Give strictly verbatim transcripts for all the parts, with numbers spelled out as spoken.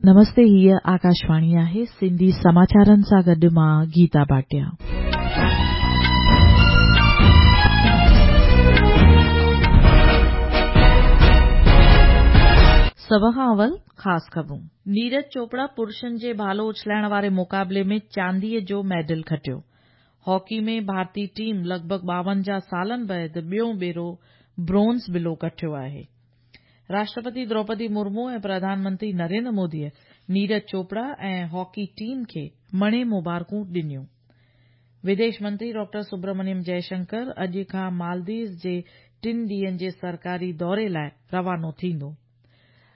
नमस्ते, हीअ आकाशवाणी आहे। सिंधी समाचारनि सां गॾु मां गीता भाटिया। सभ खां अवल ख़ासि ख़बरूं। नीरज चोपड़ा पुरुषनि जे भालो उछलाइण वारे मुक़ाबले में चांदीअ जो मेडल खटियो। हॉकी में भारतीय टीम लॻभॻि ॿावंजाह सालनि बाद ॿियो भेरो ब्रोंज़ बिलो कढियो आहे। राष्ट्रपति द्रौपदी मुर्मू ऐं प्रधानमंत्री नरेंद्र मोदीअ नीरज चोपड़ा ऐं हॉकी टीम खे मणे मुबारकूं ॾिनियूं। विदेश मंत्री डॉक्टर सुब्रमण्यम जयशंकर अॼु खां मालदीव्स जे टिनि ॾींहंनि जे सरकारी दौरे लाइ रवानो थींदो।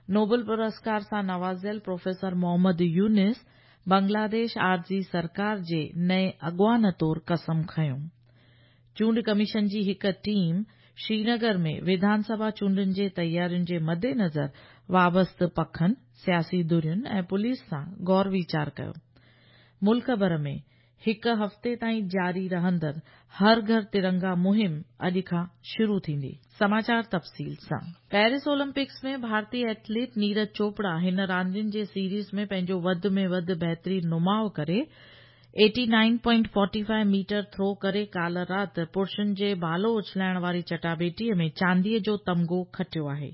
नोबेल पुरस्कार सां नवाज़ियल प्रोफेसर मोहम्मद यूनिस बांग्लादेश आरज़ी सरकार जे नए अॻवान तौर कसम खयो। चूंड कमीशन जी हिकु टीम श्रीनगर में विधानसभा चूंडुनि जे तयारियुनि जे मद्देनज़र वाबस्ता पखनि, सियासी धुरियुनि ऐं पुलिस सां गौर वीचार कयो। मुल्क भर में हिकु हफ़्ते ताईं जारी रहंदड़ हर घर तिरंगा मुहिम अॼु खां शुरू थींदी। समाचार तफ़सील सां। पेरिस ओलंपिक्स में भारतीय एथलीट नीरज चोपड़ा हिन रांदियुनि जे सीरीज़ में पंहिंजो वधि में वधि बहितरीन नुमाउ करे eighty nine point forty five metre throw करे काल्ह राति पुरुषनि जे भालो उछलाइण वारी चटाबेटीअ में चांदीअ जो तमगो खटियो आहे।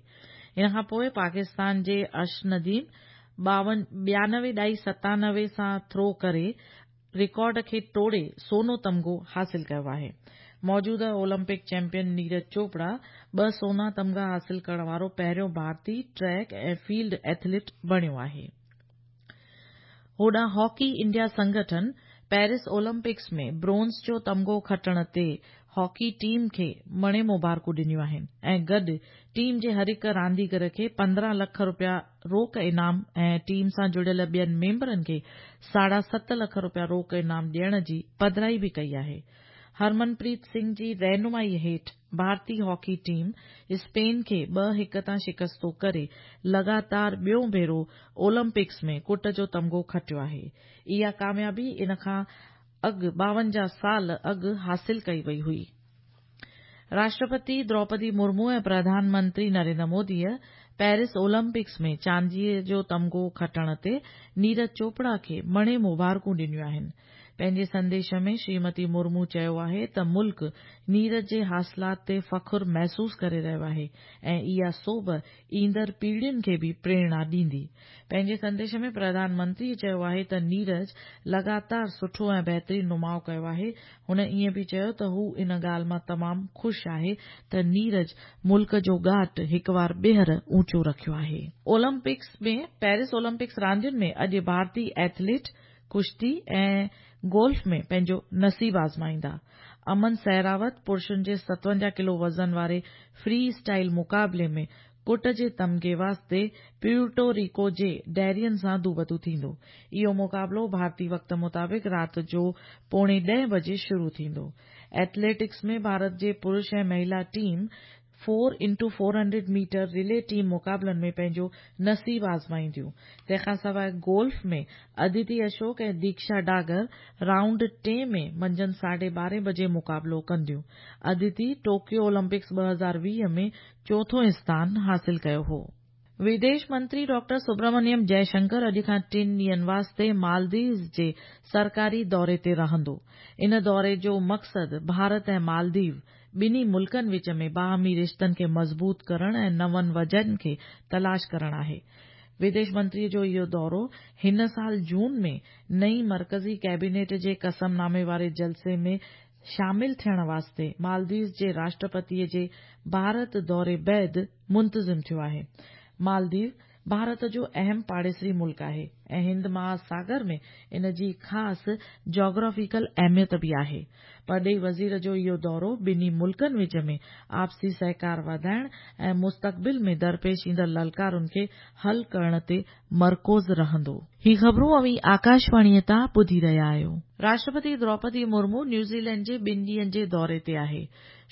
इन खां पोइ पाकिस्तान जे अर्श नदीम ॿियानवे ॾाई सतानवे सां थ्रो करे रिकॉर्ड खे टोड़े सोनो तमगो हासिल कयो आहे। मौजूदा ओलंपिक चैंपियन नीरज चोपड़ा ॿ सोना तमगा हासिल करण वारो पहिरियों भारतीय ट्रैक ऐं फील्ड एथलीट बणियो आहे। होॾां हॉकी इंडिया संगठन पेरिस ओलंपिक्स में ब्रोंज़ जो तमगो खटण ते हॉकी टीम खे मणे मुबारकूं ॾिनियूं आहिनि ऐं गॾु टीम जे हर हिकु रांदीगर खे पंद्रहं लख रुपया रोक इनाम ऐं टीम सां जुड़ियल ॿियनि मेंबरनि खे साढा सत लख रुपया रोक इनाम ॾियण जी पधराई बि कई आहे। हरमनप्रीत सिंह जी रहनुमाई हेठि भारतीय हॉकी टीम स्पेन खे ॿ हिकु तां शिकस्तो करे लॻातार ॿियो भेरो ओलंपिक्स में कुट जो तमगो खटियो आहे। इहा कामयाबी इन खां अॻु ॿावंजाह साल अॻु हासिल कई वई हुई। राष्ट्रपति द्रौपदी मुर्मू ऐं प्रधानमंत्री नरेंद्र मोदीअ पेरिस ओलंपिक्स में चांदीअ जो तमगो खटण ते नीरज चोपड़ा खे मणे मुबारकूं ॾिनियूं आहिनि। पंहिंजे संदेश में श्रीमती मुर्मू चयो आहे त मुल्क नीरज जे हासिलात ते फ़ख़ुरु महसूस करे रहियो आहे ऐं इहा सोभ ईंदड़ पीढ़ियुनि खे बि प्रेरणा ॾींदी। पंहिंजे संदेश में प्रधानमंत्री चयो आहे त नीरज लॻातार सुठो ऐं बहितरीन नुमाउ कयो आहे। हुन ईअं बि चयो त हू इन ॻाल्हि मां तमामु ख़ुशि आहे त नीरज मुल्क जो ॻाट हिकु वार ॿीहर ऊंचो रखियो आहे। ओलंपिक्स में पेरिस ओलंपिक्स रांदियुनि में अॼु भारतीय एथलीट कुश्ती ऐं गोल्फ में पंहिंजो नसीब आज़माईंदा। अमन सहरावत पुरुषनि जे सतवंजाह किलो वज़न वारे फ्री स्टाइल मुक़ाबले में कुट जे तमगे वास्ते प्यूर्टो रिको जे डेरियन सां दूबदू थींदो। इहो मुक़ाबलो भारतीय वक़्त मुताबिक़ राति जो पौणे ॾहें बजे शुरू थींदो। एथलेटिक्स में भारत जे पुरुष ऐं महिला team four into four hundred metre relay team मुक़ाबलनि में पंहिंजो नसीब आज़माईंदियूं। तंहिंखां सवाइ गोल्फ में अदिति अशोक ऐं दीक्षा डागर राउंड टे में मंझंदि साढे ॿारहें बजे मुक़ाबलो कंदियूं। अदिति टोकियो ओलंपिक्स ॿ हज़ार वीह में चोथों स्थान हासिल कयो हो। विदेश मंत्री डॉक्टर सुब्रमण्यम जयशंकर अॼु खां टिनि ॾींहंनि वास्ते मालदीव्स जे सरकारी दौरे ते रहंदो। इन दौरे जो मक़सदु भारत ऐं मालदीव ॿिन्ही मुल्कनि विच में बाहमी रिश्तनि खे मज़बूत करण ऐं नवनि वजहनि खे तलाश करण आहे। विदेश मंत्रीअ जो इहो दौरो हिन साल जून में नई मरकज़ी कैबिनेट जे कसमनामे वारे जलसे में शामिल थियण वास्ते मालदीव्स जे राष्ट्रपतीअ जे भारत दौरे बाद मुंतज़िम थियो आहे। मालदीव भारत जो अहम पाड़ेसरी मुल्क आहे ऐं हिंद महासागर में इन जी ख़ासि जोग्राफिकल अहमियत बि आहे। परॾेही वज़ीर जो इहो दौरो ॿिन्ही मुल्कनि विच में आपसी सहकार वधाइण ऐं मुस्तक़बिल में दरपेश ईंदड़ ललकारुनि खे हल करण ते मरकूज़ रहंदो। ही ख़बरूं अव्हीं आकाशवाणीअ तां ॿुधी रहिया आहियो। राष्ट्रपति द्रौपदी मुर्मू न्यूज़ीलैंड जे ॿिनि ॾींहंनि जे दौरे ते आहे।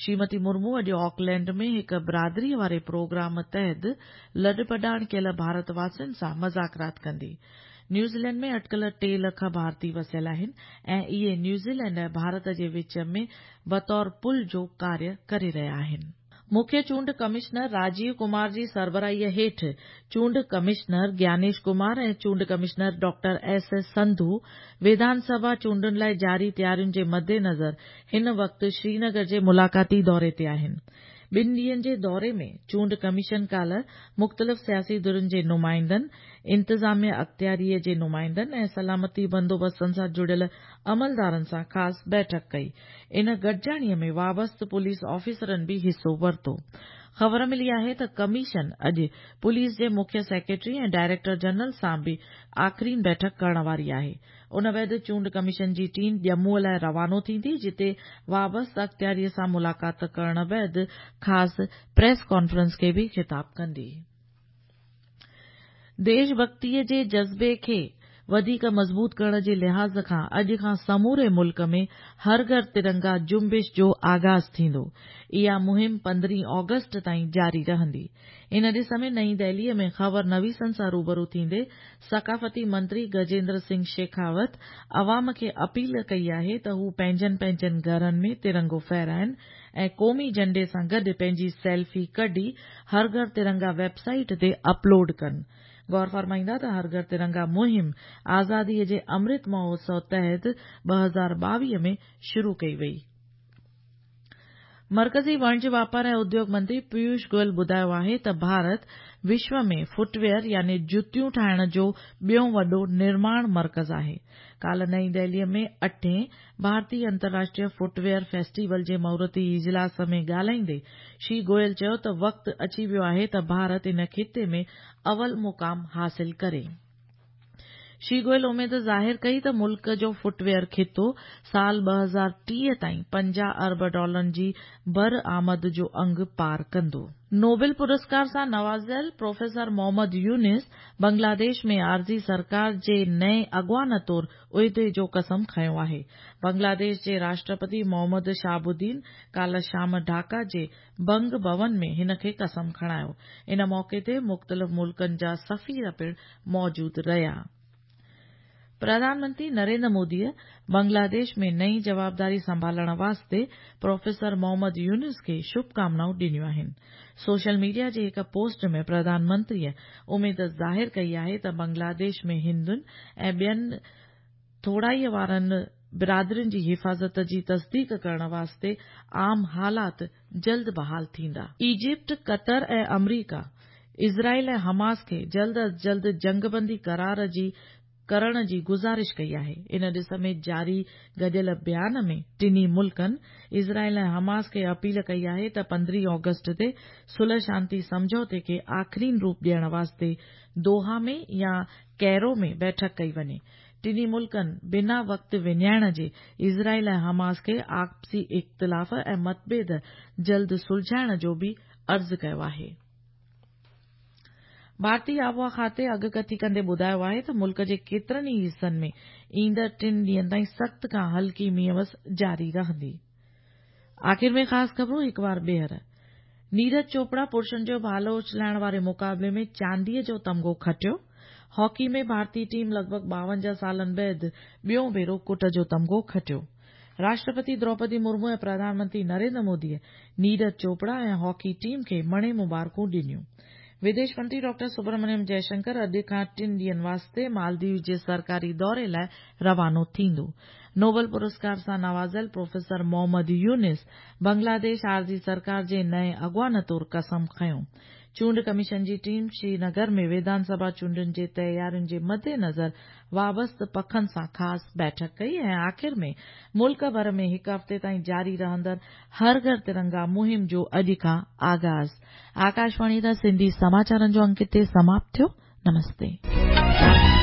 श्रीमती मुर्मू अॼु ऑकलैंड में हिकु बिरादरीअ वारे प्रोग्राम तहत लॾपॾाण कयल भारतवासियुनि सां मज़ाकरात कंदी। न्यूज़ीलैंड में अटकल टे लख भारतीय वसियल आहिनि ऐं इहे न्यूज़ीलैंड ऐं भारत जे विच में बतौर पुल जो कार्य करे रहिया आहिनि। मुख्य चूंड कमिश्नर राजीव कुमार जी सरबराहीअ हेठि चूंड कमिश्नर ज्ञानेश कुमार ऐं चूंड commissioner doctor S S Sandhu विधानसभा चूंडुनि लाइ जारी तयारियुनि जे मद्देनज़र हिन वक़्तु श्रीनगर जे मुलाक़ाती दौरे ते आहिनि। ॿिनि ॾींहंनि जे दौरे में चूंड कमीशन काल्ह मुख़्तलिफ़ सियासी धुरियुनि जे नुमाइंदनि, इंतज़ामिया अख़्तियारीअ जे नुमाइंदनि ऐं सलामती बंदोबस्तनि सां जुड़ियल अमलदारनि सां ख़ासि बैठक कई। इन गॾिजाणीअ में वाबस्ता पुलिस ऑफिसरनि बि हिसो वरितो। ख़बर मिली आहे त कमीशन अॼु पुलिस जे मुख्य सेक्रेटरी ऐं डायरेक्टर जनरल सां बि आख़िरीन बैठक करण वारी आहे। उन बाद चूंड कमीशन जी टीम ॼमूअ लाइ रवानो थींदी, जिते वाबस्ता अख़्तियारीअ सां मुलाक़ात करण बाद ख़ासि प्रेस कॉन्फ्रेंस खे बि ख़िताब कंदी। देशभक्तीअ जे जज़्बे खे वधीक मज़बूत करण जे लिहाज़ खां अॼु खां समूरे मुल्क में हर घर तिरंगा जुंबिश जो आगाज़ थींदो। इहा मुहिम पंद्रहीं ऑगस्ट ताईं जारी रहंदी। इन ॾिस में नई दिल्लीअ में ख़बर नवीसनि सां रूबरू थींदे सकाफ़ती मंत्री गजेंद्र सिंह शेखावत अवाम खे अपील कई आहे त हू पंहिंजनि पंहिंजनि घरनि में तिरंगो फहराइनि ऐं क़ौमी झंडे सां गॾु पंहिंजी सेल्फी कढी हर घर तिरंगा वेबसाइट ते अपलोड कनि। गौर फरमाईंदा त हर घर तिरंगा मुहिम आज़ादीअ जे अमृत महोत्सव तहत ॿ हज़ार ॿावीह में शुरू कई वई। मर्कज़ी वणज वापार ऐं उद्योग मंत्री पीयूष गोयल ॿुधायो आहे त भारत विश्व में फुटवियर यानी जुतियूं ठाहिण जो ॿियो वॾो निर्माण मर्कज़ आहे। काल्ह नई दिल्लीअ में अठें भारतीय अंतर्राष्ट्रीय फुटवियर फेस्टिवल जे मुहूर्ती इजलास में ॻाल्हाईंदे श्री गोयल चयो त वक़्तु अची वियो आहे त भारत इन ख़िते में अवल मुक़ाम हासिल करे। श्री गोयल उमेद ज़ाहिर कई त मुल्क जो फुटवियर ख़ितो साल ॿ हज़ार टीह ताईं पंजाह अरब डॉलरनि जी बरआमद जो अंग पार कंदो। नोबेल पुरस्कार सां नवाज़ियल प्रोफेसर मोहम्मद यूनिस बांग्लादेश में आरज़ी सरकार जे नए अॻवान तौर उहिदे जो कसम खयो आहे। बांग्लादेश जे राष्ट्रपति मोहम्मद शहाबुद्दीन काल्ह शाम ढाका जे बंग भवन में हिन खे कसम खणायो। इन मौक़े ते मुख़्तलिफ़ मुल्कनि जा सफ़ीर पिणु मौजूद रहिया। प्रधानमंत्री नरेंद्र मोदीअ बांग्लादेश में नई जवाबदारी संभालण वास्ते प्रोफेसर मोहम्मद यूनिस खे शुभकामनाऊं ॾिनियूं आहिनि। सोशल मीडिया जे हिक पोस्ट में प्रधानमंत्रीअ उमेद ज़ाहिर कई आहे त बांग्लादेश में हिंदुनि ऐं ॿियनि थोराईअ वारनि बिरादरियुनि जी हिफ़ाज़त जी तस्दीक करण वास्ते आम हालात जल्द बहाल थींदा। इजिप्ट, क़तर ऐं अमरीका इज़राइल ऐं हमास खे जल्द अज़ जल्द जंगबंदी करार जी करण जी गुज़ारिश कई आहे। इन ॾिस में जारी गॾियल बयान में टिन्ही मुल्कनि इज़राइल ऐं हमास खे अपील कई आहे त पंद्रहीं ऑगस्ट ते सुलह शांति सम्झौते खे आख़िरीन रूप ॾियण वास्ते दोहा में या कैरो में बैठक कई वञे। टिन्ही मुल्कनि बिना वक़्तु विञाइण जे इज़राइल ऐं हमास खे आपसी इख़्तिलाफ़ ऐं मतभेद जल्द सुलझाइण जो बि अर्ज़ कयो आहे। भारतीय आबहावा खाते अॻकथी कंदे ॿुधायो आहे त मुल्क जे केतिरनि ई हिसनि में ईंदड़ टिनि ॾींहंनि ताईं सख़्त खां हल्की मींहुं जारी रहंदी। आख़िर में ख़ासि ख़बरूं हिकु बार ॿीहर। नीरज चोपड़ा पुरुषनि जो भालो उछलाइण वारे मुक़ाबले में चांदीअ जो तमगो खटियो। हॉकी में भारतीय टीम लॻभॻि ॿावंजाह सालनि बाद ॿियो भेरो कुट जो तमगो खटियो। राष्ट्रपति द्रौपदी मुर्मू ऐं प्रधानमंत्री नरेंद्र मोदीअ नीरज चोपड़ा ऐं हॉकी टीम खे मणे मुबारकूं ॾिनियूं। विदेश मंत्री डॉक्टर सुब्रमण्यम जयशंकर अॼु खां टिनि ॾींहंनि वास्ते मालदीव जे सरकारी दौरे लाइ रवानो थींदो। नोबेल पुरस्कार सां नवाज़ियल प्रोफेसर मोहम्मद यूनिस बांग्लादेश आरज़ी सरकार जे नए अॻवान तौर कसम खयो। चूंड कमीशन जी टीम श्रीनगर में विधानसभा चूंडुनि जे तयारियुनि जे मद्देनज़र वाबस्ता पखनि सां ख़ासि बैठक कई ऐं आख़िर में मुल्क भर में हिकु हफ़्ते ताईं जारी रहंदड़ हर घर तिरंगा मुहिम जो अॼु खां आगाज़। आकाशवाणी तां सिंधी समाचारनि जो अंक हिते समाप्त थियो। नमस्ते।